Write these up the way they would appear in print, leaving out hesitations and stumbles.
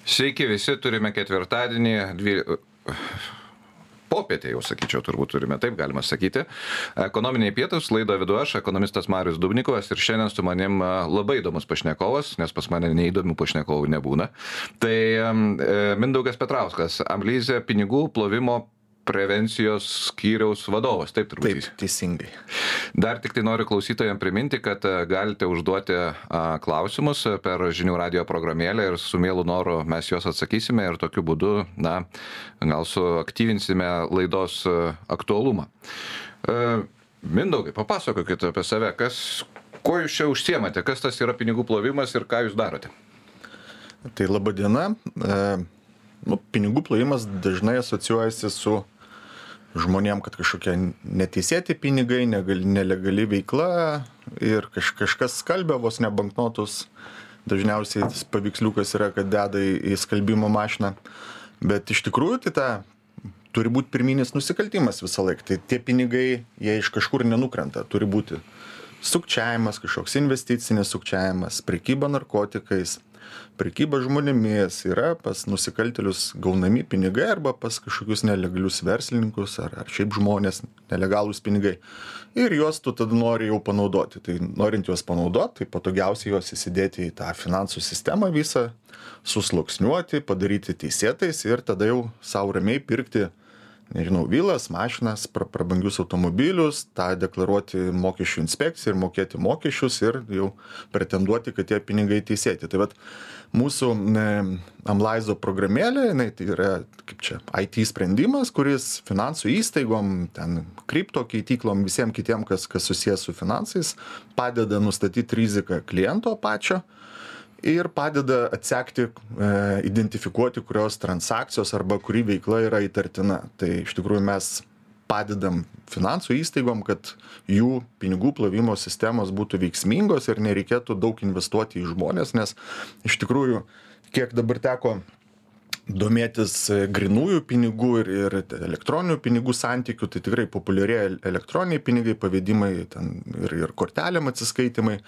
Sveiki visi, turime ketvirtadienį, popietę jau sakyčiau, turbūt turime, taip galima sakyti. Ekonominiai pietūs, laidą vedu aš, ekonomistas Marius Dubnikovas, ir šiandien su manim labai įdomus pašnekovas, nes pas mane neįdomių pašnekovų nebūna. Tai Mindaugas Petrauskas, Amlyze pinigų plovimo prevencijos skyriaus vadovas, taip turbūt. Taip, teisingai. Dar tik tai noriu klausytojams priminti, kad galite užduoti klausimus per žinių radijo programėlę ir su mielu noru mes juos atsakysime ir tokiu būdu, gal suaktyvinsime laidos aktualumą. Mindaugai, papasakokite apie save, kuo jūs čia užsiemate, kas tas yra pinigų plovimas ir ką jūs darote? Tai laba diena. Pinigų plovimas dažnai asocijuojasi su žmonėm, kad kažkokie neteisėti pinigai, nelegali veikla ir kažkas skalbia vos ne banknotus. Dažniausiai tas paveiksliukas yra, kad deda į skalbimo mašiną. Bet iš tikrųjų tai turi būti pirminis nusikaltimas visą laiką. Tai tie pinigai, jie iš kažkur nenukrenta. Turi būti sukčiavimas, kažkoks investicinis sukčiavimas, prekyba narkotikais, prekyba žmonėmis, yra pas nusikaltėlius gaunami pinigai arba pas kažkokius nelegalius verslininkus ar šiaip žmonės, nelegalūs pinigai. Ir juos tu tada nori jau panaudoti. Tai norint juos panaudoti, tai patogiausiai juos įsidėti į tą finansų sistemą visą, susluoksniuoti, padaryti teisėtais ir tada jau savo ramiai pirkti, vilas, mašinas, prabangius automobilius, tą deklaruoti mokesčių inspekcijai ir mokėti mokesčius ir jau pretenduoti, kad tie pinigai teisėti. Tai vat mūsų Amlyze programėlė, tai yra IT sprendimas, kuris finansų įstaigom, kripto keityklom, visiems kitiem, kas susijęs su finansais, padeda nustatyti riziką kliento pačio ir padeda atsekti, identifikuoti, kurios transakcijos arba kuri veikla yra įtartina. Tai iš tikrųjų mes padedam finansų įstaigom, kad jų pinigų plovimo sistemos būtų veiksmingos ir nereikėtų daug investuoti į žmonės, nes iš tikrųjų, kiek dabar teko domėtis grinųjų pinigų ir elektroninių pinigų santykių, tai tikrai populiarėja elektroniniai pinigai, pavedimai ir kortelėm atsiskaitimai.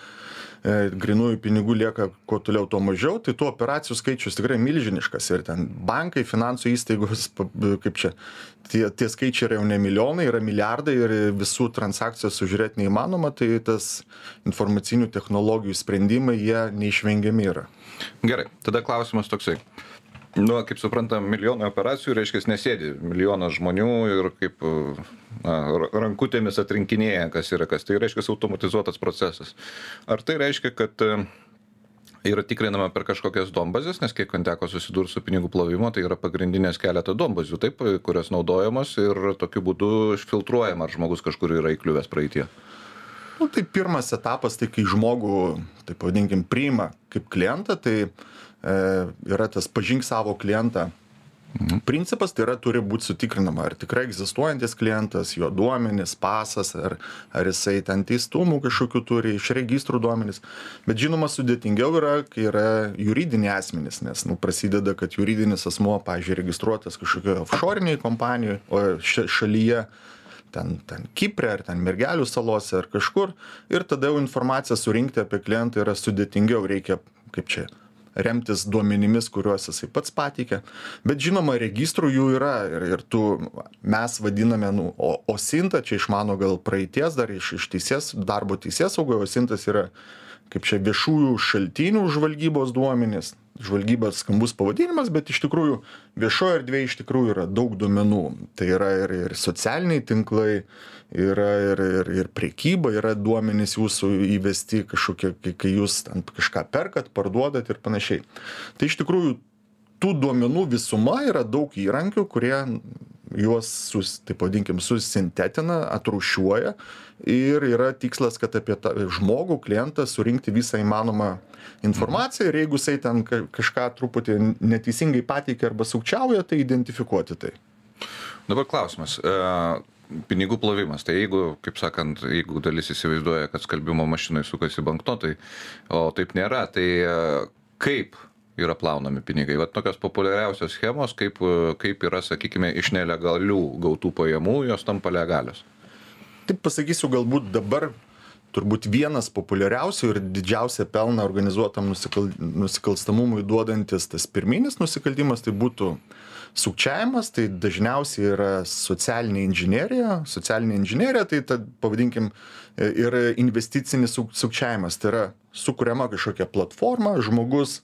Grinųjų pinigų lieka kuo toliau, tuo mažiau, tai tų operacijų skaičius tikrai milžiniškas ir bankai, finansų įstaigos, tie skaičiai yra jau ne milijonai, yra milijardai ir visų transakcijų sužiūrėti neįmanoma, tai tas informacinių technologijų sprendimai, jie neišvengiami yra. Gerai, tada klausimas toksai. Kaip suprantam, milijonai operacijų, reiškia, nesėdi milijonas žmonių ir kaip rankutėmis atrinkinėja, kas yra kas. Tai reiškia automatizuotas procesas. Ar tai reiškia, kad yra tikrinama per kažkokias duombazes, nes kiek man teko susidurti su pinigų plovimu, tai yra pagrindinės keletą duombazių, taip, kurios naudojamos ir tokiu būdu filtruojama, ar žmogus kažkur yra įkliuvęs praeitie? Tai pirmas etapas, tai kai žmogų, taip vadinkim, priima kaip klientą, tai yra tas pažink savo klientą principas, tai yra turi būti sutikrinama, ar tikrai egzistuojantis klientas, jo duomenys, pasas, ar jisai ten teistumų kažkokių turi, iš registrų duomenys. Bet žinoma, sudėtingiau yra, kai yra juridiniai asmenys, nes prasideda, kad juridinis asmuo, pavyzdžiui, registruotas kažkokioje offshore'iniai kompanijoje, o šalyje ten Kiprė, ar ten Mergelių salose, ar kažkur, ir tada jau informaciją surinkti apie klientą yra sudėtingiau, reikia remtis duomenimis, kuriuos jisai pats pateikia. Bet žinoma, registrų jų yra ir mes vadiname, OSINT, čia iš mano gal praeities, dar iš darbo teisėsaugoje, OSINTas yra viešųjų šaltinių žvalgybos duomenys. Žvalgybos skambus pavadinimas, bet iš tikrųjų viešoje erdvėje iš tikrųjų yra daug duomenų. Tai yra ir socialiniai tinklai, yra ir prekyba, yra duomenys jūsų įvesti kažkokie, kai jūs kažką perkat, parduodat ir panašiai. Tai iš tikrųjų tų duomenų visuma yra daug įrankių, kurie juos, taip vadinkim, susintetina, atrūšiuoja ir yra tikslas, kad apie tą žmogų, klientą surinkti visą įmanomą informaciją ir jeigu jisai ten kažką truputį neteisingai pateikia arba sukčiauja, tai identifikuoti tai. Dabar klausimas. Pinigų plovimas. Tai jeigu dalis įsivaizduoja, kad skalbimo mašinai sukasi banknotai, o taip nėra, tai kaip yra plaunami pinigai? Vat tokios populiariausios schemos, kaip yra, sakykime, iš nelegalių gautų pajamų, jos tampa legalios. Taip pasakysiu, galbūt dabar turbūt vienas populiariausių ir didžiausią pelną organizuotam nusikalstamumui duodantis tas pirminis nusikaltimas, tai būtų sukčiavimas, tai dažniausiai yra socialinė inžinerija. Socialinė inžinerija, tai pavadinkim, ir investicinis sukčiavimas. Tai yra sukuriama kažkokia platforma, žmogus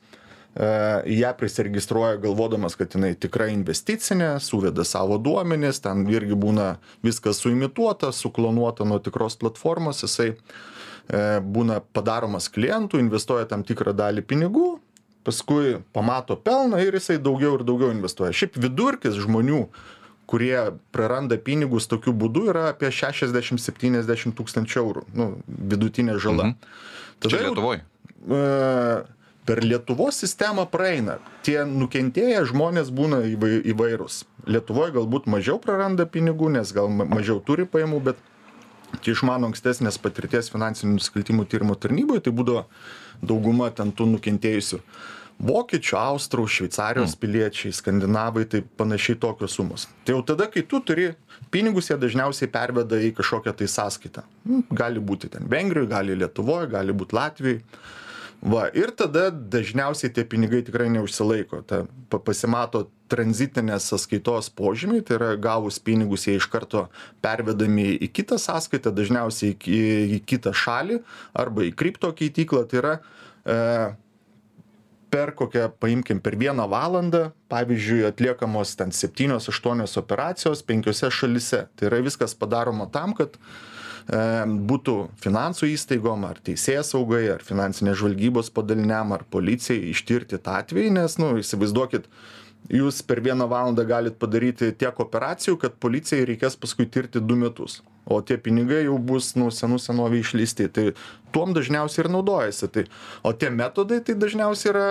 ją prisiregistruoja galvodamas, kad jinai tikrai investicinė, suveda savo duomenis, ten irgi būna viskas suimituota, suklonuota nuo tikros platformos, jisai būna padaromas klientų, investuoja tam tikrą dalį pinigų, paskui pamato pelną ir jisai daugiau ir daugiau investuoja. Šiaip vidurkis žmonių, kurie praranda pinigus tokiu būdu, yra apie 60-70 tūkstančių eurų, vidutinė žala. Čia Lietuvoje? Per Lietuvos sistemą praeina. Tie nukentėję žmonės būna įvairūs. Lietuvoje galbūt mažiau praranda pinigų, nes gal mažiau turi pajamų, bet iš mano ankstesnės patirties finansinių nusikaltimų tyrimo tarnyboje, tai būdavo dauguma ten tų nukentėjusių vokiečių, austrų, Šveicarijos piliečiai, skandinavai, tai panašiai tokios sumos. Tai jau tada, kai tu turi pinigus, jie dažniausiai perveda į kažkokią tai sąskaitą. Gali būti ten Vengrijoje, gali Lietuvoje, gali būti Latvijoje. Ir tada dažniausiai tie pinigai tikrai neužsilaiko. Pasimato tranzitinės sąskaitos požymiai, tai yra gavus pinigus, jie iš karto pervedami į kitą sąskaitą, dažniausiai į kitą šalį arba į kripto keityklą. Tai yra per 1 valandą, pavyzdžiui, atliekamos ten 7-8 operacijos 5 šalyse. Tai yra viskas padaroma tam, kad būtų finansų įstaigom, ar teisėsaugai, ar finansinės žvalgybos padaliniam, ar policijai ištirti tą atvejį, nes, įsivaizduokit, jūs per 1 valandą galit padaryti tiek operacijų, kad policijai reikės paskui tirti 2 metus. O tie pinigai jau bus senovė išleisti. Tai tuom dažniausiai ir naudojasi. O tie metodai tai dažniausiai yra,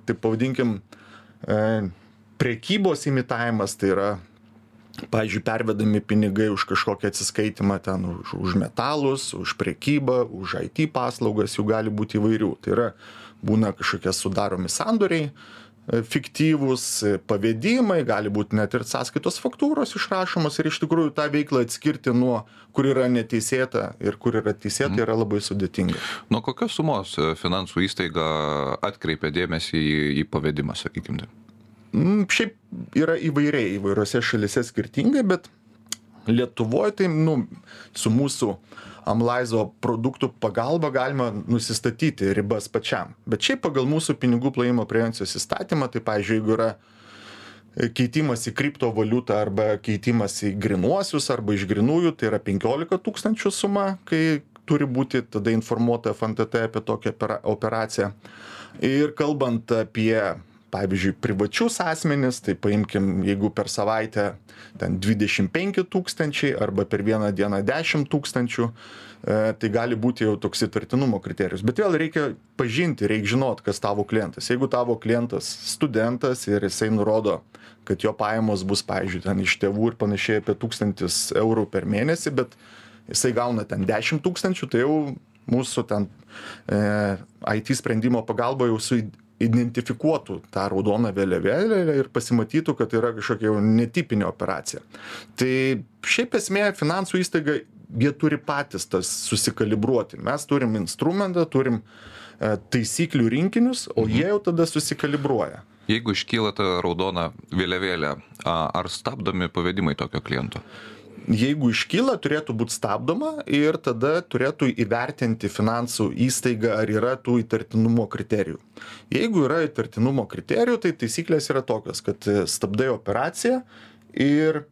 taip pavadinkim, prekybos imitavimas, tai yra, pavyzdžiui, pervedami pinigai už kažkokią atsiskaitimą ten, už metalus, už prekybą, už IT paslaugas, jų gali būti įvairių. Tai yra, būna kažkokie sudaromi sandoriai, fiktyvūs pavedimai, gali būti net ir sąskaitos faktūros išrašomos ir iš tikrųjų tą veiklą atskirti nuo, kur yra neteisėta ir kur yra teisėta, yra labai sudėtinga. Nuo kokios sumos finansų įstaiga atkreipia dėmesį į pavedimą, sakykime? Šiaip yra įvairiose šalise skirtingai, bet Lietuvoje tai, su mūsų Amlaizo produktų pagalba galima nusistatyti ribas pačiam. Bet šiaip pagal mūsų pinigų plovimo prevencijos įstatymą, tai, pavyzdžiui, jeigu yra keitimas į kriptovaliutą arba keitimas į grinuosius arba iš grinųjų, tai yra 15 000 suma, kai turi būti tada informuota FNTT apie tokią operaciją. Ir kalbant apie, pavyzdžiui, privačius asmenis, tai paimkim, jeigu per savaitę ten 25 000 arba per vieną dieną 10 000, tai gali būti jau toks įtartinumo kriterijus. Bet vėl reikia pažinti, reikia žinot, kas tavo klientas. Jeigu tavo klientas studentas ir jisai nurodo, kad jo pajamos bus, pavyzdžiui, ten iš tėvų ir panašiai apie 1000 eurų per mėnesį, bet jisai gauna ten 10 000, tai jau mūsų ten IT sprendimo pagalba jau identifikuotų tą raudoną vėliavėlę ir pasimatytų, kad yra kažkokia netipinė operacija. Tai šiaip esmė finansų įstaiga, jie turi patys tas susikalibruoti. Mes turim instrumentą, turim taisyklių rinkinius, o jie jau tada susikalibruoja. Jeigu iškyla ta raudona vėliavėlė, ar stabdomi pavedimai tokio kliento? Jeigu iškyla, turėtų būti stabdoma ir tada turėtų įvertinti finansų įstaigą, ar yra tų įtartinumo kriterijų. Jeigu yra įtartinumo kriterijų, tai taisyklės yra tokios, kad stabdai operaciją ir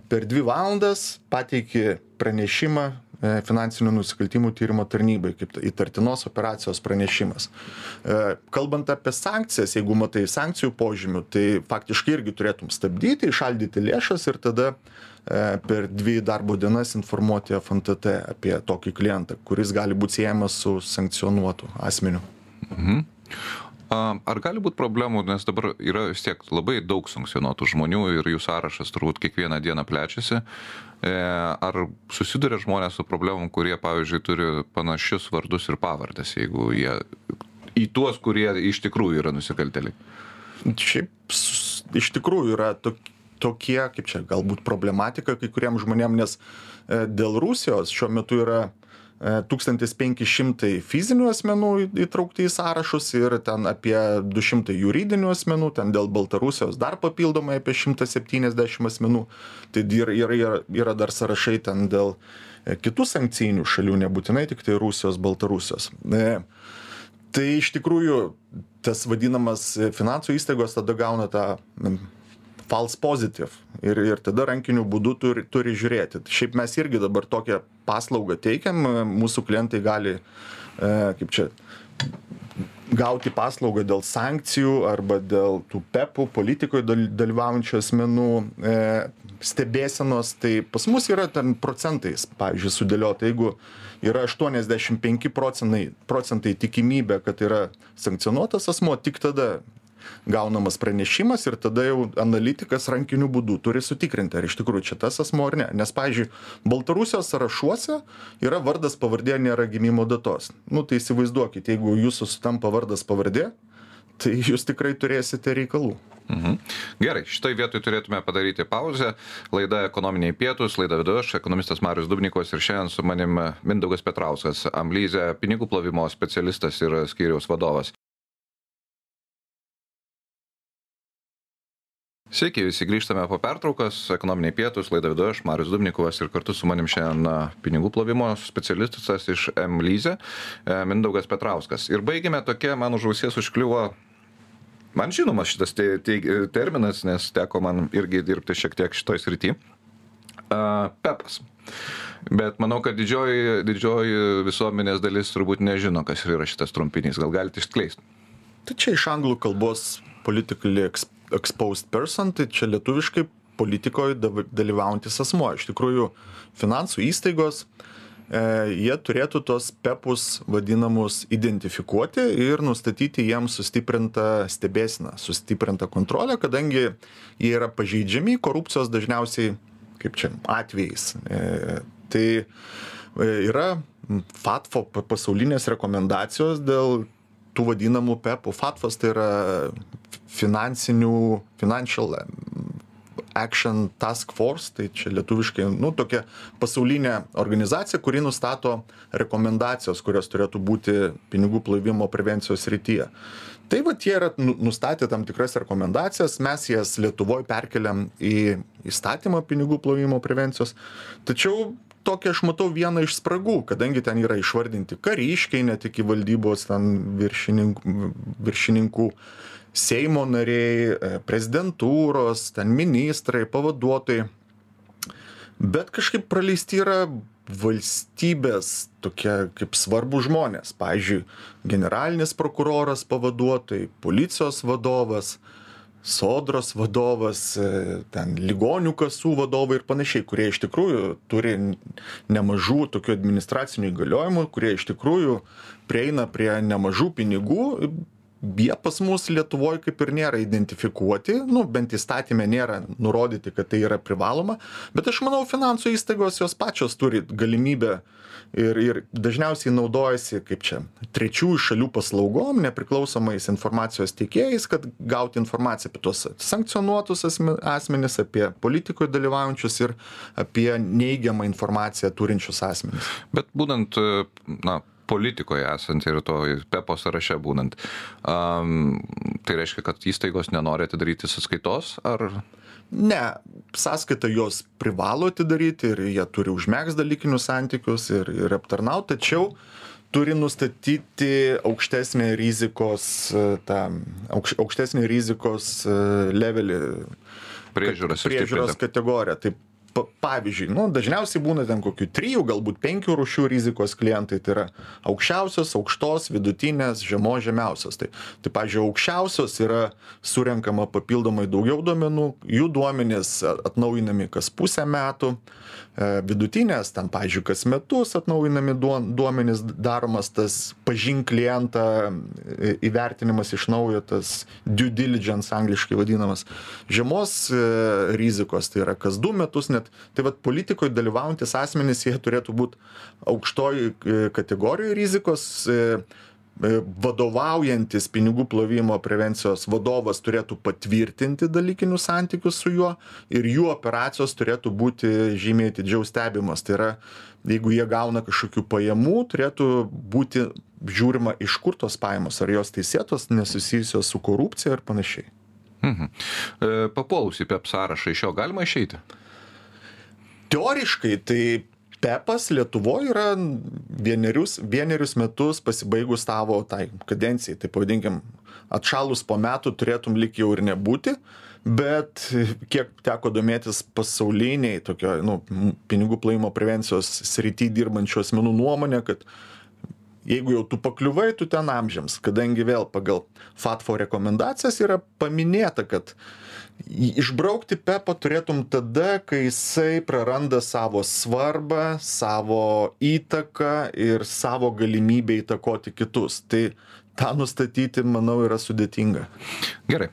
per 2 valandas pateiki pranešimą finansinių nusikaltimų tyrimo tarnybai, kaip įtartinos operacijos pranešimas. Kalbant apie sankcijas, jeigu matai sankcijų požymių, tai faktiškai irgi turėtum stabdyti, įšaldyti lėšas ir tada per 2 darbo dienas informuoti FNTT apie tokį klientą, kuris gali būti siejamas su sankcionuotu asmeniu. Ar gali būti problemų, nes dabar yra vis tiek labai daug sankcionuotų žmonių ir jų sąrašas turbūt kiekvieną dieną plečiasi. Ar susiduria žmonės su problemom, kurie, pavyzdžiui, turi panašius vardus ir pavardės, jeigu jie į tuos, kurie iš tikrųjų yra nusikaltėliai? Šiaip iš tikrųjų yra tokie, kaip čia galbūt problematika kai kuriem žmonėm, nes dėl Rusijos šiuo metu yra 1500 fizinių asmenų įtraukti į sąrašus ir ten apie 200 juridinių asmenų, ten dėl Baltarusijos dar papildomai apie 170 asmenų. Tai yra dar sąrašai ten dėl kitų sankcijinių šalių, nebūtinai tik tai Rusijos, Baltarusijos. Tai iš tikrųjų tas vadinamas finansų įstaigos tada gauna tą false positive ir tada rankiniu būdu turi žiūrėti. Šiaip mes irgi dabar tokią paslaugą teikiam, mūsų klientai gali, gauti paslaugą dėl sankcijų arba dėl tų PEPų, politikoje dalyvaujančių asmenų stebėsenos, tai pas mus yra ten procentais, pavyzdžiui, sudėliota, jeigu yra 85% tikimybė, kad yra sankcionuotas asmuo, tik tada gaunamas pranešimas ir tada jau analitikas rankiniu būdu turi sutikrinti, ar iš tikrųjų čia tas asmuo ar ne. Nes, pavyzdžiui, Baltarusijos sąrašuose yra vardas, pavardė, nėra gimimo datos. Tai įsivaizduokit, jeigu jūsų sutampa vardas, pavardė, tai jūs tikrai turėsite reikalų. Gerai, šitoj vietoj turėtume padaryti pauzę. Laida Ekonominiai pietūs, laida vedu aš, ekonomistas Marius Dubnikovas ir šiandien su manim Mindaugas Petrauskas, Amlyze pinigų plovimo specialistas ir skyriaus vadovas. Sveiki, visi grįžtame po pertraukos, Ekonominiai pietūs, laida vedu aš, Marius Dubnikovas ir kartu su manim šiandien pinigų plovimo specialistas iš Amlyze, Mindaugas Petrauskas. Ir baigėme tokia, man už ausies užkliuvo, man žinomas šitas terminas, nes teko man irgi dirbti šiek tiek šitoj srity, PEPas. Bet manau, kad didžioji visuomenės dalis turbūt nežino, kas yra šitas trumpinys. Gal galite išskleisti? Tai čia iš anglų kalbos politically exposed person, tai čia lietuviškai politikoje dalyvaujantis asmuo. Iš tikrųjų, finansų įstaigos, jie turėtų tos PEPus vadinamus identifikuoti ir nustatyti jiems sustiprintą stebėseną, sustiprintą kontrolę, kadangi jie yra pažeidžiami korupcijos dažniausiai, atvejais. Tai yra FATFO pasaulinės rekomendacijos dėl tų vadinamų PEPų. FATFas tai yra Financial Action Task Force, tai čia lietuviškai, tokia pasaulinė organizacija, kuri nustato rekomendacijos, kurios turėtų būti pinigų plovimo prevencijos srityje. Tai jie yra nustatę tam tikras rekomendacijas, mes jas Lietuvoje perkeliam į įstatymą pinigų plovimo prevencijos, tačiau tokia aš matau vieną iš spragų, kadangi ten yra išvardinti kariškiai, net iki valdybos ten viršininkų, Seimo nariai, prezidentūros, ten ministrai, pavaduotojai. Bet kažkaip praleisti yra valstybės tokie kaip svarbus žmonės. Pavyzdžiui, generalinis prokuroras pavaduotojai, policijos vadovas, sodros vadovas, ten ligonių kasų vadovai ir panašiai, kurie iš tikrųjų turi nemažų tokių administracinių įgaliojimų, kurie iš tikrųjų prieina prie nemažų pinigų. Jie pas mus Lietuvoje kaip ir nėra identifikuoti, bent įstatymė nėra nurodyti, kad tai yra privaloma, bet aš manau, finansų įstaigos jos pačios turi galimybę ir dažniausiai naudojasi, trečiųjų šalių paslaugom, nepriklausomais informacijos teikėjais, kad gauti informaciją apie tos sankcionuotus asmenis, apie politikoje dalyvaujančius ir apie neigiamą informaciją turinčius asmenis. Bet būtent, politikoje esant ir to PEPO sąraše būnant, tai reiškia, kad įstaigos nenori atidaryti sąskaitos, ar? Ne, sąskaitą jos privalo atidaryti ir jie turi užmegzti dalykinius santykius ir aptarnauti, tačiau turi nustatyti aukštesnį rizikos levelį, priežiūros kategoriją. Tai pavyzdžiui, dažniausiai būna ten kokių 3, galbūt 5 rūšių rizikos klientai, tai yra aukščiausios, aukštos, vidutinės, žemiausios. Tai pavyzdžiui, aukščiausios yra surenkama papildomai daugiau duomenų, jų duomenys atnaujinami kas pusę metų, vidutinės, ten, pavyzdžiui, kas metus atnaujinami duomenys, daromas tas pažink klientą įvertinimas iš naujo, tas due diligence angliškai vadinamas. Žemos rizikos, tai yra kas 2 metus net. Tai politikoje dalyvaujantis asmenys, jie turėtų būti aukštoj kategorijoje rizikos. vadovaujantis pinigų plovimo prevencijos vadovas turėtų patvirtinti dalykinius santykius su juo ir jų operacijos turėtų būti žymiai atidžiau stebimas. Tai yra, jeigu jie gauna kažkokių pajamų, turėtų būti žiūrima, iš kur tos pajamos, ar jos teisėtos, nesusijusios su korupcija ir panašiai. Papuolus į PEP sąrašą, iš jo galima išeiti? Teoriškai, tai PEPas Lietuvoje yra vienerius metus pasibaigus tavo tai kadencijai, tai pavadinkim, atšalus po metų turėtum lyg jau ir nebūti, bet kiek teko domėtis pasauliniai tokio, pinigų plovimo prevencijos srity dirbančių asmenų nuomonė, kad jeigu jau tu pakliuvai, tu ten amžiams, kadangi vėl pagal FATFO rekomendacijas yra paminėta, kad išbraukti PEPą turėtum tada, kai jisai praranda savo svarbą, savo įtaką ir savo galimybę įtakoti kitus. Tai tą nustatyti, manau, yra sudėtinga. Gerai,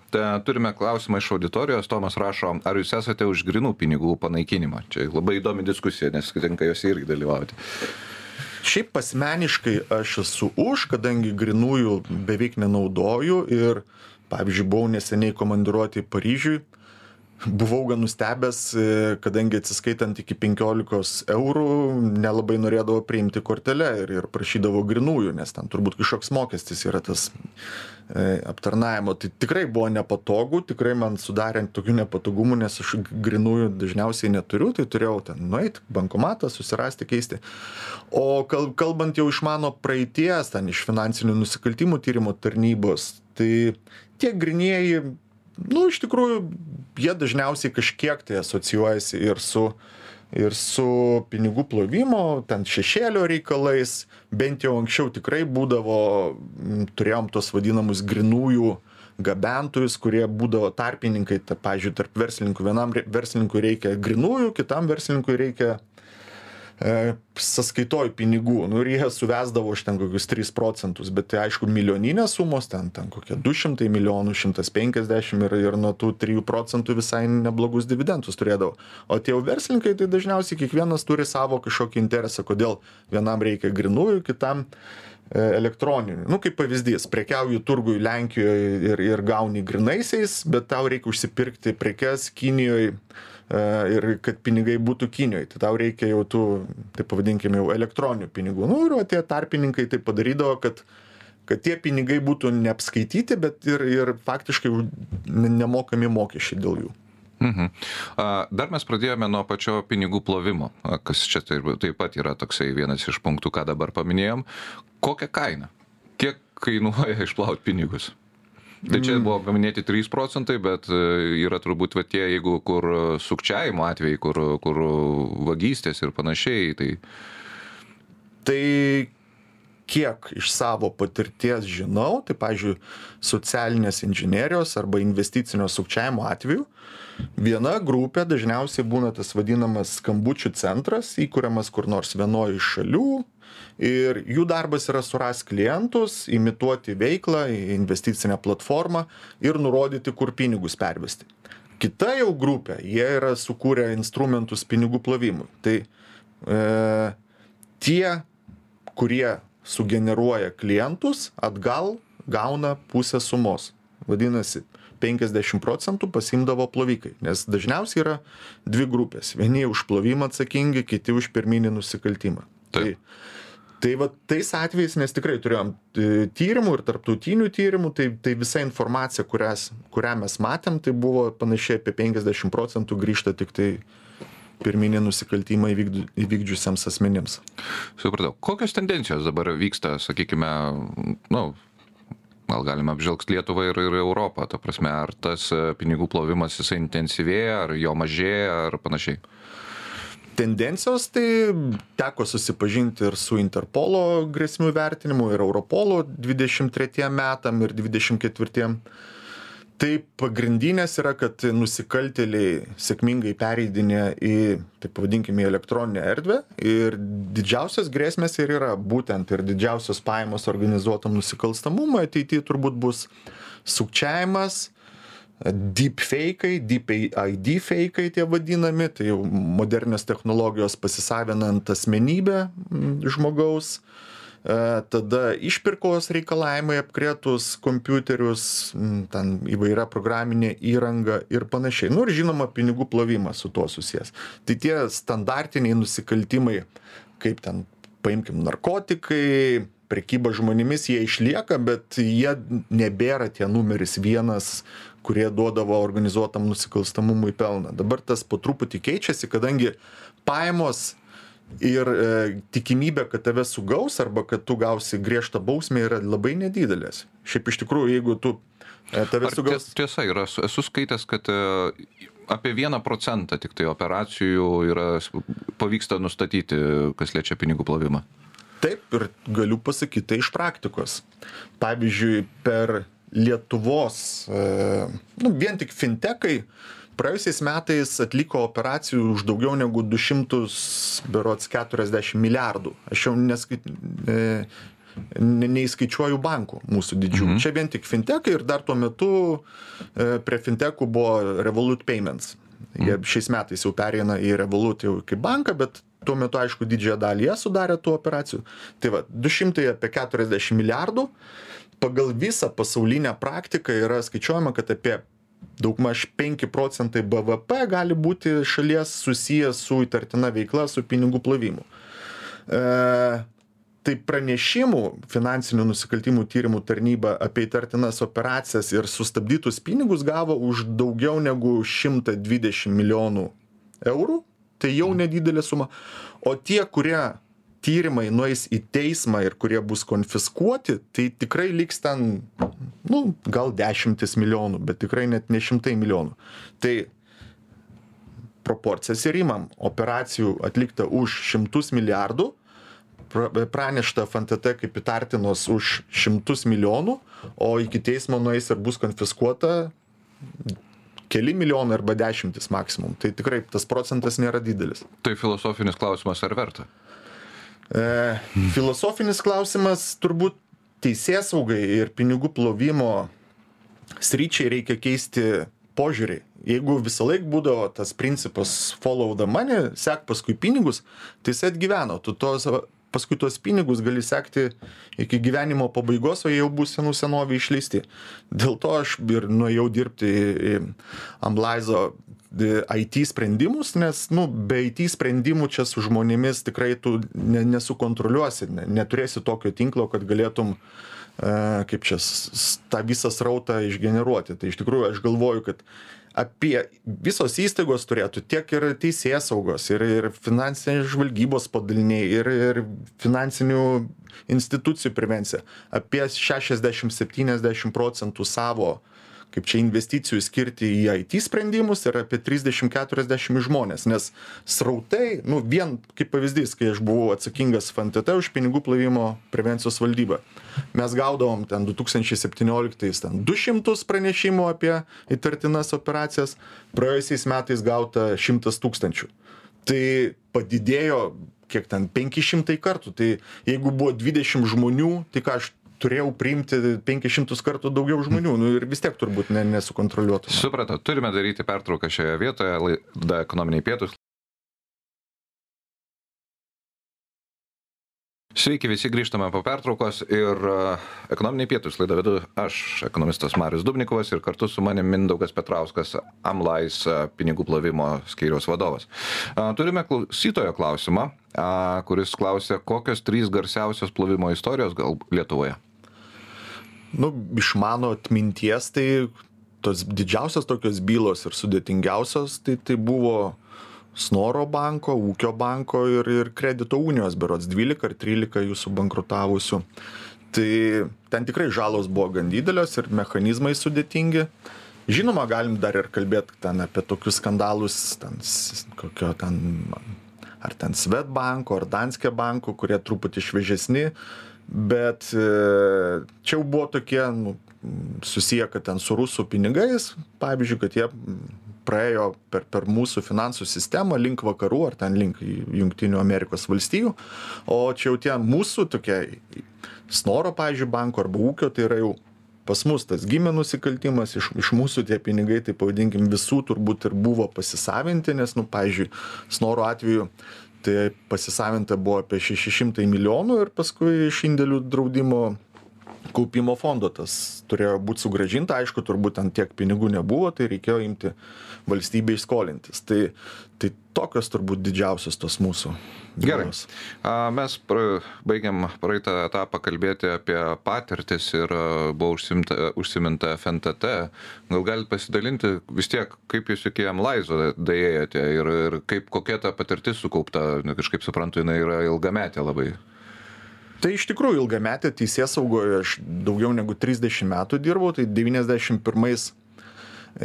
turime klausimą iš auditorijos. Tomas rašo, ar jūs esate už grynų pinigų panaikinimą? Čia labai įdomi diskusija, nes tenka jose irgi dalyvauti. Šiaip asmeniškai aš esu už, kadangi grynųjų beveik nenaudoju ir pavyzdžiui, buvau neseniai komandiruoti Paryžiui, buvau gan nustebęs, kadangi atsiskaitant iki 15 eurų nelabai norėdavo priimti kortelę ir prašydavo grynųjų, nes ten turbūt kažkoks mokestis yra tas aptarnavimo. Tai tikrai buvo nepatogu, tikrai man sudarė tokių nepatogumų, nes aš grynųjų dažniausiai neturiu, tai turėjau ten nueiti, bankomatą, susirasti, keisti. O kalbant jau iš mano praeities, ten iš finansinių nusikaltimų tyrimo tarnybos, tai tie grynieji, iš tikrųjų, jie dažniausiai kažkiek tai asocijuojasi ir su pinigų plovimo, ten šešėlio reikalais, bent jau anksčiau tikrai būdavo, turėjom tos vadinamus grynųjų gabentojus, kurie būdavo tarpininkai, pavyzdžiui, tarp verslininkų. Vienam verslininkui reikia grynųjų, kitam verslininkui reikia sąskaitoj pinigų, ir jie suvesdavo iš ten kokius 3%, bet tai aišku milijoninės sumos, ten kokie 200 milijonų, 150 ir nuo tų 3% visai neblogus dividendus turėdavo. O tie jau verslininkai, tai dažniausiai kiekvienas turi savo kažkokį interesą, kodėl vienam reikia grynųjų, kitam elektroninių. Kaip pavyzdys, prekiauji turgui Lenkijoje ir gauni grynaisiais, bet tau reikia užsipirkti prekes Kinijoje ir kad pinigai būtų Kinijoje. Tai tau reikia jau tų, taip pavadinkime, jau elektroninių pinigų. Ir tie tarpininkai tai padarydavo, kad tie pinigai būtų neapskaityti, bet ir faktiškai nemokami mokesčiai dėl jų. Dar mes pradėjome nuo pačio pinigų plovimo, kas čia taip pat yra toksai vienas iš punktų, ką dabar paminėjom. Kokią kainą? Kiek kainuoja išplauti pinigus? Tai čia buvo paminėti 3%, bet yra turbūt tie, jeigu kur sukčiavimo atvejai, kur vagystės ir panašiai. Tai kiek iš savo patirties žinau, tai, pavyzdžiui, socialinės inžinerijos arba investicinio sukčiavimo atveju, viena grupė dažniausiai būna tas vadinamas skambučių centras, įkuriamas kur nors vienoje iš šalių, ir jų darbas yra surasti klientus, imituoti veiklą, investicinę platformą ir nurodyti, kur pinigus pervesti. Kita jau grupė, jie yra sukūrę instrumentus pinigų plovimui. Tai tie, kurie sugeneruoja klientus, atgal gauna pusę sumos. Vadinasi, 50% pasimdavo plovikai, nes dažniausiai yra dvi grupės. Vieni už plovimą atsakingi, kiti už pirminį nusikaltimą. Tai va tais atvejais, nes tikrai turėjom tyrimų ir tarptautinių tyrimų, tai visa informacija, kurią mes matėm, tai buvo panašiai apie 50% grįžta tik tai pirminį nusikaltimą įvykdžiusiems asmenims. Supratau. Kokios tendencijos dabar vyksta, sakykime, gal galime apžvelgti Lietuvą ir Europą, ta prasme, ar tas pinigų plovimas jisai intensyvėja, ar jo mažėja, ar panašiai? Tendencijos, tai teko susipažinti ir su Interpolo grėsmių vertinimu, ir Europolo 23 metam ir 24. Tai pagrindinės yra, kad nusikaltėliai sėkmingai pereidinė į, taip pavadinkime, elektroninę erdvę, ir didžiausios grėsmės ir yra būtent ir didžiausios pajamos organizuotam nusikalstamumui ateityje turbūt bus sukčiavimas, deepfake'ai, deep ID fake'ai tie vadinami, tai jau modernios technologijos pasisavinant asmenybę žmogaus, tada išpirkos reikalavimai apkrėtus kompiuterius, ten įvairia programinė įranga ir panašiai. Nu ir žinoma, pinigų plovimas su tuo susijęs. Tai tie standartiniai nusikaltimai, kaip ten, paimkim, narkotikai, prekyba žmonėmis, jie išlieka, bet jie nebėra tie numeris vienas, kurie duodavo organizuotam nusikalstamumui pelną. Dabar tas po truputį keičiasi, kadangi pajamos ir tikimybė, kad tave sugaus arba kad tu gausi griežtą bausmę yra labai nedidelės. Šiaip iš tikrųjų, jeigu tu tave sugaus... Tiesa, esu skaitęs, kad apie 1% tik tai operacijų pavyksta nustatyti, kas liečia pinigų plovimą. Taip, ir galiu pasakyti tai iš praktikos. Pavyzdžiui, per Lietuvos, vien tik fintekai, praėjusiais metais atliko operacijų už daugiau negu 240 milijardų. Aš jau neįskaičiuoju bankų mūsų didžiųjų. Čia vien tik fintekai ir dar tuo metu prie fintekų buvo Revolut Payments. Jie šiais metais jau pereina į Revolut jau kaip banką, bet tuo metu, aišku, didžiąją dalį jie sudarė tų operacijų. Tai va, 240 milijardų. Pagal visą pasaulinę praktiką yra skaičiuojama, kad apie daugmaž 5% BVP gali būti šalies susijęs su įtartina veikla, su pinigų plovimu. Tai pranešimų finansinių nusikaltimų tyrimų tarnyba apie įtartinas operacijas ir sustabdytus pinigus gavo už daugiau negu 120 milijonų eurų. Tai jau nedidelė suma. O tie, kurie tyrimai nueis į teismą ir kurie bus konfiskuoti, tai tikrai liks ten, gal 10 milijonų, bet tikrai net ne 100 milijonų. Tai proporcijas ir imam. Operacijų atlikta už 100 milijardų, pranešta FNTT kaip įtartinos už 100 milijonų, o iki teismo nueis ir bus konfiskuota keli milijonai arba 10 maksimum. Tai tikrai tas procentas nėra didelis. Tai filosofinis klausimas, ar verta? Filosofinis klausimas turbūt teisėsaugai ir pinigų plovimo sričiai reikia keisti požiūrį. Jeigu visą laik būdavo tas principas follow the money, sek paskui pinigus, tai jis atgyveno. Tu paskui tuos pinigus gali sekti iki gyvenimo pabaigos, o jie jau bus senovė išleisti. Dėl to aš ir nuėjau dirbti į Amlaizo IT sprendimus, nes be IT sprendimų čia su žmonėmis tikrai tu nesukontroliuosi, neturėsi tokio tinklo, kad galėtum kaip čia tą visą srautą išgeneruoti. Tai iš tikrųjų aš galvoju, kad apie visos įstaigos turėtų tiek ir teisėsaugos, ir finansinės žvalgybos padaliniai, ir finansinių institucijų prevencija. Apie 60-70% savo, kaip čia, investicijų skirti į IT sprendimus ir apie 30-40 žmonės. Nes srautai, vien kaip pavyzdys, kai aš buvau atsakingas FNTT už pinigų plovimo prevencijos valdybą, mes gaudavom ten 2017 200 pranešimų apie įtartinas operacijas, praėjusiais metais gauta 100 000. Tai padidėjo, kiek ten, 500 kartų. Tai jeigu buvo 20 žmonių, tai ką aš turėjau priimti 500 kartų daugiau žmonių, ir vis tiek turbūt nesukontroliuotų. Supratau, turime daryti pertrauką šioje vietoje, laida Ekonominiai pietūs. Sveiki, visi grįžtame po pertraukos ir Ekonominiai pietūs laidą vedu aš, ekonomistas Marius Dubnikovas, ir kartu su manim Mindaugas Petrauskas, Amlais pinigų plovimo skyriaus vadovas. Turime klausytojo klausimą, kuris klausia, kokios 3 garsiausios plovimo istorijos gal Lietuvoje? Iš mano atminties, tai tos didžiausios tokios bylos ir sudėtingiausios, tai buvo Snoro banko, Ūkio banko ir Kredito unijos, berods 12 ar 13 jų subankrutavusių. Tai ten tikrai žalos buvo gan didelės ir mechanizmai sudėtingi. Žinoma, galim dar ir kalbėti ten apie tokius skandalus, ar ten Swedbanko, ar Danske banko, kurie truputį šviežesni, bet čia jau buvo tokie susiję, kad ten su rusų pinigais, pavyzdžiui, kad jie praėjo per mūsų finansų sistemą link vakarų, ar ten link Jungtinių Amerikos valstijų, o čia jau tie mūsų tokie Snoro, pavyzdžiui, banko arba Ūkio, tai yra jau pas mus tas gimė nusikaltimas, iš mūsų tie pinigai, tai pavadinkim, visų turbūt ir buvo pasisavinti, nes, pavyzdžiui, Snoro atveju tai pasisavinta buvo apie 600 milijonų ir paskui iš indėlių draudimo kaupimo fondo tas turėjo būti sugrąžinta, aišku, turbūt ten tiek pinigų nebuvo, tai reikėjo imti valstybei skolintis. Tai tokios turbūt didžiausios tos mūsų. Gerai. Mes baigiam praeitą etapą kalbėti apie patirtis ir buvo užsiminta FNTT. Gal galite pasidalinti vis tiek, kaip jūs iki Amlaizo daėjote ir kokia ta patirtis sukaupta, kažkaip suprantu, jinai yra ilgametė labai. Tai iš tikrųjų ilgametė teisėsaugoje, aš daugiau negu 30 metų dirbau, tai 91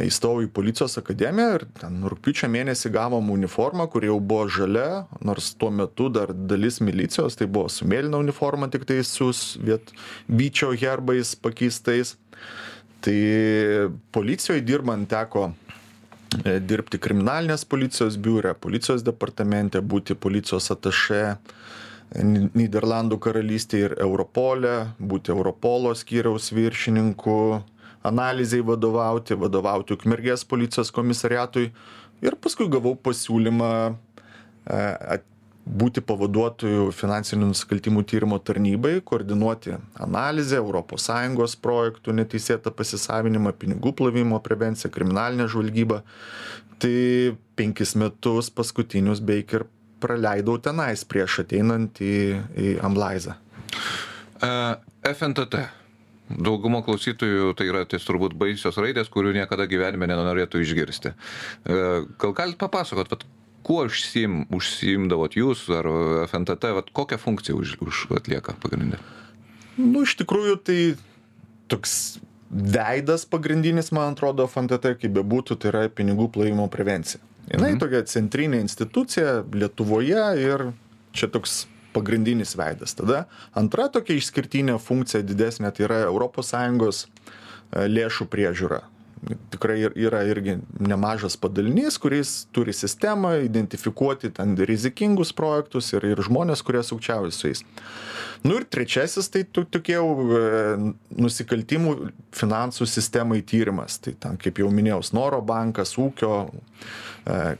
įstojau į policijos akademiją ir ten rugpjūčio mėnesį gavom uniformą, kuri jau buvo žalia, nors tuo metu dar dalis milicijos, tai buvo su mėlyna uniforma, tik tai su vyčio herbais pakeistais. Tai policijoje dirbant teko dirbti kriminalinės policijos biure, policijos departamente, būti policijos atašė Nyderlandų karalystėje ir Europole, būti Europolo skyriaus viršininku, analizai vadovauti Ukmergės policijos komisariatui ir paskui gavau pasiūlymą būti pavaduotoju finansinių nusikaltimų tyrimo tarnybai, koordinuoti analizę, ES projektų neteisėtą pasisavinimą, pinigų plovimo prevenciją, kriminalinę žvalgybą. Tai 5 metus paskutinius beveik ir praleidau tenais prieš ateinant į Amlaizą. FNTT. Daugumo klausytojų tai yra turbūt baisios raidės, kurių niekada gyvenime nenorėtų išgirsti. Gal galite papasakot, kuo užsiimdavot jūs ar FNTT, kokią funkciją atlieka pagrindinė? Iš tikrųjų, tai toks veidas pagrindinis, man atrodo, FNTT, kaip bebūtų, tai yra pinigų plovimo prevencija. Jinai tokia centrinė institucija Lietuvoje ir čia toks pagrindinis veidas. Tada antra tokia išskirtinė funkcija didesnė, tai yra ES lėšų priežiūra. Tikrai yra irgi nemažas padalinys, kuris turi sistemą identifikuoti ten rizikingus projektus ir žmonės, kurie sukčiauja su jais. Ir trečiasis, tai tokie nusikaltimų finansų sistemai tyrimas. Tai ten, kaip jau minėjau, Snoro bankas, ūkio,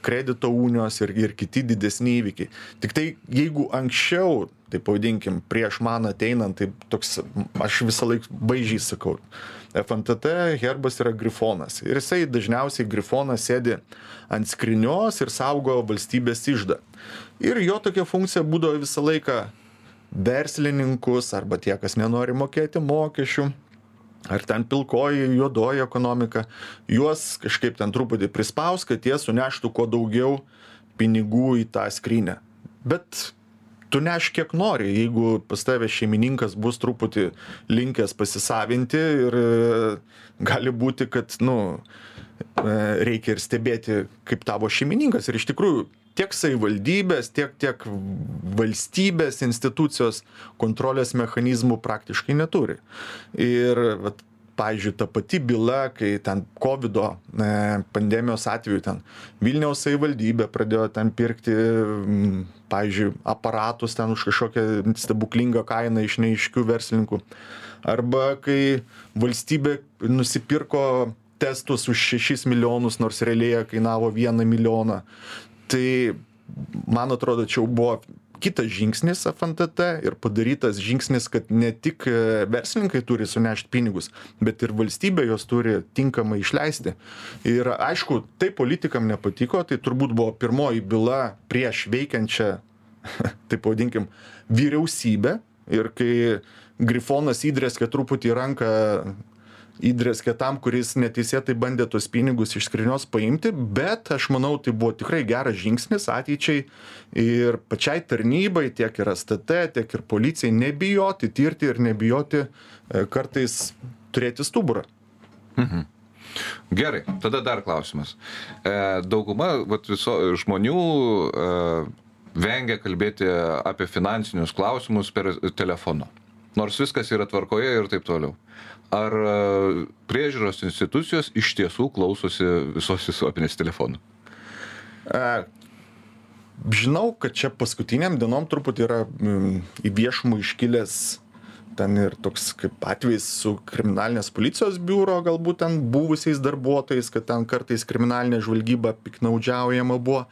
kredito unijos ir kiti didesni įvykiai. Tik tai, jeigu anksčiau, tai pavadinkim, prieš man ateinant, tai toks, aš visą laiką baižiai sakau, FNTT herbas yra grifonas. Ir jisai dažniausiai grifonas sėdi ant skrinios ir saugo valstybės iždą. Ir jo tokia funkcija būdavo visą laiką verslininkus arba tie, kas nenori mokėti mokesčių, ar ten pilkoji, juodoji ekonomika, juos kažkaip ten truputį prispaus, kad jie suneštų kuo daugiau pinigų į tą skrinę. Bet tu neš kiek nori, jeigu pas tave šeimininkas bus truputį linkęs pasisavinti ir gali būti, kad reikia ir stebėti, kaip tavo šeimininkas. Ir iš tikrųjų tiek savivaldybės, tiek valstybės institucijos kontrolės mechanizmų praktiškai neturi. Ir pavyzdžiui, ta pati byla, kai ten COVID pandemijos atveju ten Vilniaus savivaldybė pradėjo ten pirkti, pavyzdžiui, aparatus ten už kažkokią stebuklingą kainą iš neaiškių verslininkų. Arba kai valstybė nusipirko testus už 6 milijonus, nors realiai kainavo 1 milijoną. Tai, man atrodo, čia jau buvo kitas žingsnis FNTT ir padarytas žingsnis, kad ne tik verslininkai turi sunešti pinigus, bet ir valstybė jos turi tinkamai išleisti. Ir aišku, tai politikam nepatiko, tai turbūt buvo pirmoji byla prieš veikiančią, taip pavadinkim, vyriausybę. Ir kai grifonas įdrėskė truputį ranką, įdrėskė tam, kuris neteisėtai bandė tos pinigus iš skrinios paimti, bet aš manau, tai buvo tikrai geras žingsnis ateičiai ir pačiai tarnybai, tiek ir STT, tiek ir policijai nebijoti tirti ir nebijoti kartais turėti stuburą. Gerai, tada dar klausimas. Dauguma žmonių vengia kalbėti apie finansinius klausimus per telefonu. Nors viskas yra tvarkoje ir taip toliau. Ar priežiūros institucijos iš tiesų klausosi visos visuomenės telefonų? Žinau, kad čia paskutiniam dienom truputį yra į viešumą iškilęs ten ir toks kaip atvejis su kriminalinės policijos biuro, galbūt ten buvusiais darbuotojais, kad ten kartais kriminalinė žvalgyba piknaudžiaujama buvo.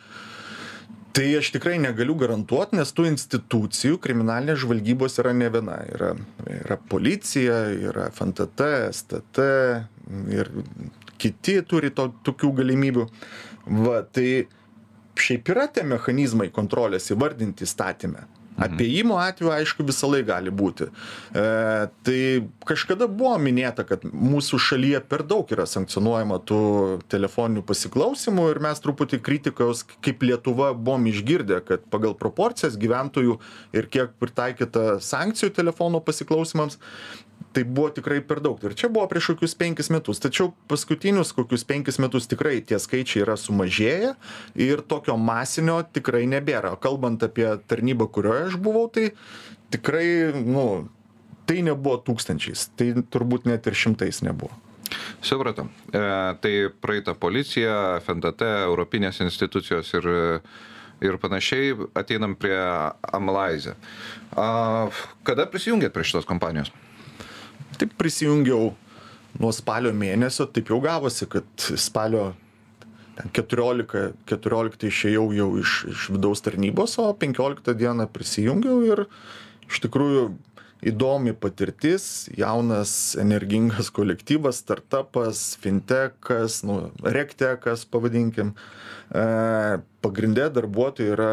Tai aš tikrai negaliu garantuoti, nes tų institucijų kriminalinės žvalgybos yra ne viena. Yra policija, yra FNTT, STT ir kiti turi tokių galimybių. Va, tai šiaip yra tie mechanizmai kontrolės įvardinti įstatyme. Apėjimo atveju, aišku, visą laiką gali būti. Tai kažkada buvo minėta, kad mūsų šalyje per daug yra sankcionuojama tų telefoninių pasiklausimų ir mes truputį kritikos kaip Lietuva buvom išgirdę, kad pagal proporcijas gyventojų ir kiek pritaikyta sankcijų telefono pasiklausimams, tai buvo tikrai per daug. Ir čia buvo prieš kokius 5 metus. Tačiau paskutinius kokius 5 metus tikrai tie skaičiai yra sumažėję ir tokio masinio tikrai nebėra. Kalbant apie tarnybą, kurioje aš buvau, tai tikrai, tai nebuvo tūkstančiais. Tai turbūt net ir šimtais nebuvo. Supratau. Tai praeita policija, FNTT, europinės institucijos ir panašiai, ateinam prie Amalize. Kada prisijungėt prie šitos kompanijos? Taip prisijungiau nuo spalio mėnesio, taip jau gavosi, kad spalio 14 išėjau jau iš vidaus tarnybos, o 15 dieną prisijungiau ir iš tikrųjų įdomi patirtis, jaunas, energingas kolektyvas, startupas, fintechas, regtechas pavadinkim. Pagrindė darbuotojai yra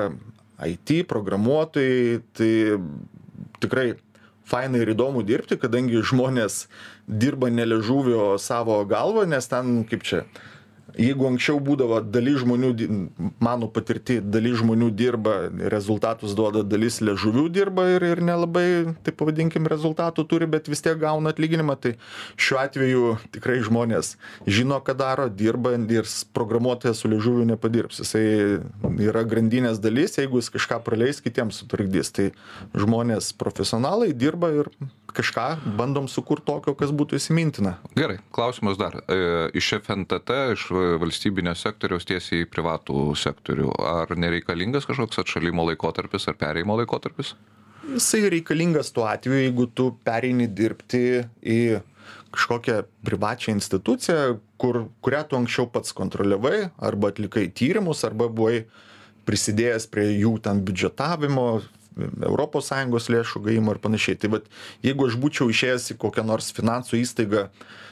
IT, programuotojai, tai tikrai faina ir įdomu dirbti, kadangi žmonės dirba ne liežuvį, o savo galvą, nes ten, kaip čia, jeigu anksčiau būdavo dalis žmonių, mano patirti, dalis žmonių dirba, rezultatus duoda, dalis liežuvių dirba ir nelabai, taip pavadinkim, rezultatų turi, bet vis tiek gauna atlyginimą, tai šiuo atveju tikrai žmonės žino, ką daro, dirba ir programuotojas su liežuviu nepadirbs. Jisai yra grandinės dalis, jeigu jis kažką praleis, kitiems sutrukdys. Tai žmonės profesionalai dirba ir kažką bandom sukurti tokio, kas būtų įsimintina. Gerai, klausimas dar. Iš FNTT, iš valstybinio sektoriaus tiesiai į privatų sektorių. Ar nereikalingas kažkoks atšalimo laikotarpis ar perėjimo laikotarpis? Jisai reikalingas tuo atveju, jeigu tu pereini dirbti į kažkokią privačią instituciją, kurią tu anksčiau pats kontroliavai, arba atlikai tyrimus, arba buvai prisidėjęs prie jų ten biudžetavimo, ES lėšų gavimo ir panašiai. Tai vat, jeigu aš būčiau išėjęs į kokią nors finansų įstaigą,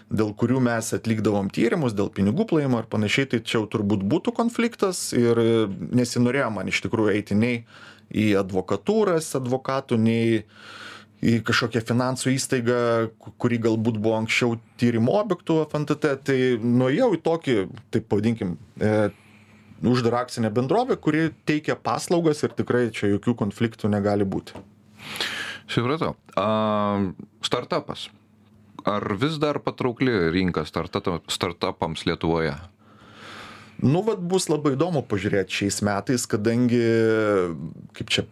dėl kurių mes atlikdavom tyrimus, dėl pinigų plovimo ir panašiai, tai čia jau turbūt būtų konfliktas ir nesinorėjo man iš tikrųjų eiti nei į advokatūras advokatų, nei į kažkokią finansų įstaigą, kuri galbūt buvo anksčiau tyrimo objektų FNTT, tai nuėjau į tokį, taip pavadinkim, uždarą akcinę bendrovę, kuri teikia paslaugas ir tikrai čia jokių konfliktų negali būti. Supratau. Startupas. Ar vis dar patraukli rinka startupams Lietuvoje? Vat bus labai įdomu pažiūrėti šiais metais, kadangi, kaip čia,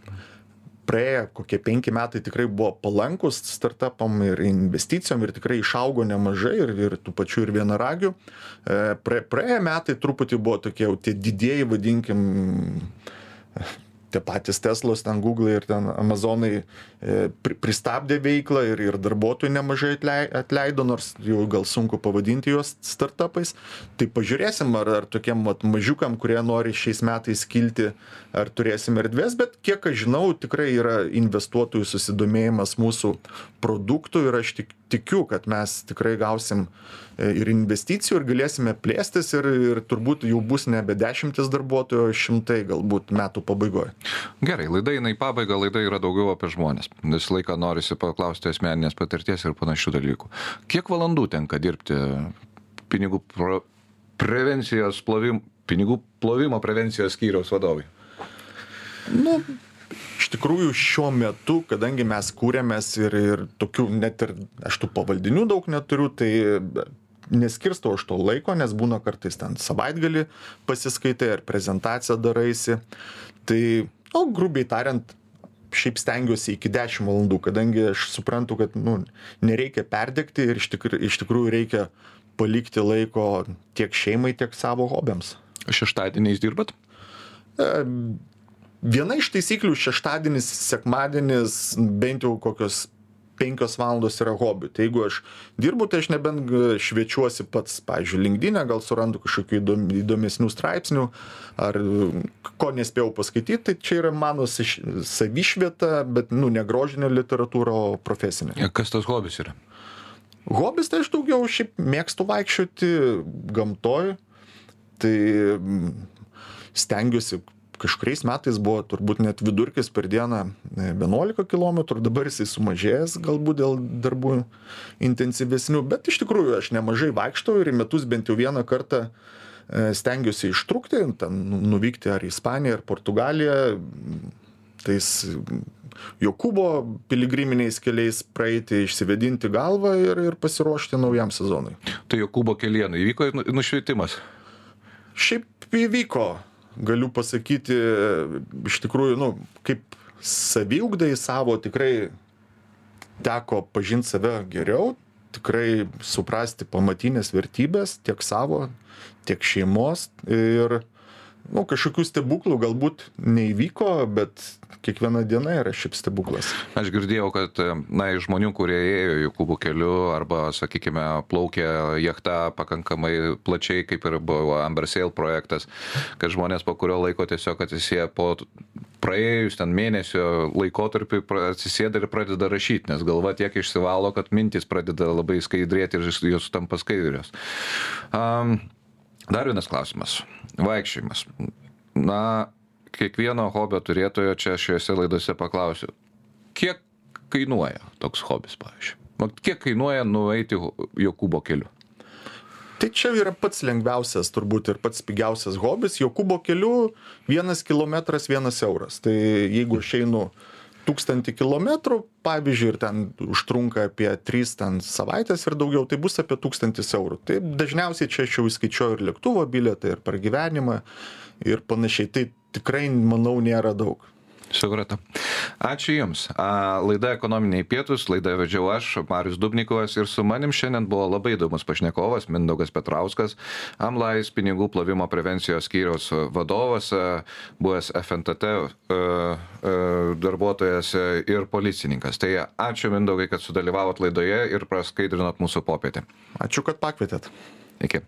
praėję kokie 5 metai tikrai buvo palankus startupam ir investicijom ir tikrai išaugo nemažai ir tų pačių ir vienaragių. Praėję metai truputį buvo tokie jau tie didieji, vadinkim, tie patys Teslos, ten Google ir ten Amazonai pristabdė veiklą ir darbuotojų nemažai atleido, nors jau gal sunku pavadinti juos startupais. Tai pažiūrėsim, ar tokiem mažiukam, kurie nori šiais metais kilti, ar turėsim erdvės, bet kiek aš žinau, tikrai yra investuotojų susidomėjimas mūsų produktų ir aš tikiu, kad mes tikrai gausim ir investicijų ir galėsime plėstis ir turbūt jau bus nebe 10 darbuotojų, o 100 galbūt metų pabaigoje. Gerai, laida eina į pabaigą, laida yra daugiau apie žmonės. Visą laiką norisi paklausti asmeninės patirties ir panašių dalykų. Kiek valandų tenka dirbti pinigų plovimo prevencijos skyriaus vadovai? Iš tikrųjų šiuo metu, kadangi mes kūrėmės ir tokių, net ir aš tų pavaldinių daug neturiu, tai neskirstau aš to laiko, nes būna kartais ten savaitgalį pasiskaitai ar prezentaciją daraisi. Tai, grubiai tariant, šiaip stengiuosi iki 10 valandų, kadangi aš suprantu, kad nereikia perdegti ir iš tikrųjų reikia palikti laiko tiek šeimai, tiek savo hobiams. Šeštadieniais dirbat? Viena iš taisyklių šeštadienis, sekmadienis, bent jau kokios 5 valandos yra hobi. Tai jeigu aš dirbu, tai aš nebent šviečiuosi pats, pavyzdžiui, LinkedIn'e, gal surandu kažkokių įdomesnių straipsnių, ar ko nespėjau paskaityti, tai čia yra mano savišvieta, bet, ne grožinė literatūra, o profesinė. Kas tas hobis yra? Hobis tai aš daugiau šiaip mėgstu vaikščioti gamtoj, tai stengiuosi. Kažkuriais metais buvo turbūt net vidurkis per dieną 11 km, dabar jisai sumažėjęs galbūt dėl darbų intensyvesnių, bet iš tikrųjų aš nemažai vaikštau ir į metus bent jau vieną kartą stengiuosi ištrūkti, ten nuvykti ar į Ispaniją, ar Portugaliją, tais Jokūbo piligriminiais keliais praeiti, išsivedinti galvą ir pasiruošti naujam sezonui. Tai Jokūbo kelienai įvyko nušvietimas? Šiaip įvyko. Galiu pasakyti, iš tikrųjų, kaip saviugdai savo tikrai teko pažinti save geriau, tikrai suprasti pamatinės vertybės tiek savo, tiek šeimos ir kažkokių stebuklų galbūt neįvyko, bet kiekviena diena yra šiaip stebuklas. Aš girdėjau, kad iš žmonių, kurie ėjo Jokūbo keliu arba, sakykime, plaukė jachta pakankamai plačiai, kaip ir buvo Amber Sail projektas, kad žmonės po kurio laiko tiesiog atsisėja po praėjus ten mėnesio laikotarpį atsisėda ir pradeda rašyti, nes galva tiek išsivalo, kad mintis pradeda labai skaidrėti ir jos tampa skaidrios. Dar vienas klausimas. Vaikščiojimas. Kiekvieno hobio turėtojo čia šiuose laidose paklausiu. Kiek kainuoja toks hobis, pavyzdžiui? Kiek kainuoja nueiti Jokūbo keliu? Tai čia yra pats lengviausias turbūt ir pats pigiausias hobis. Jokūbo keliu 1 kilometras 1 euras. Tai jeigu aš einu 1000 kilometrų, pavyzdžiui, ir ten užtrunka apie 3 savaitės ir daugiau, tai bus apie 1000 eurų. Tai dažniausiai čia aš jau įskaičiuoju ir lėktuvo bilietą, ir pragyvenimą, ir panašiai. Tai tikrai, manau, nėra daug. Supratau. Ačiū Jums. Laida Ekonominiai pietūs, laidą vedžiau aš, Marius Dubnikovas, ir su manim šiandien buvo labai įdomus pašnekovas, Mindaugas Petrauskas, Amlais pinigų plovimo prevencijos skyriaus vadovas, buvęs FNTT darbuotojas ir policininkas. Tai ačiū Mindaugai, kad sudalyvavot laidoje ir praskaidrinot mūsų popietę. Ačiū, kad pakvietėt. Iki.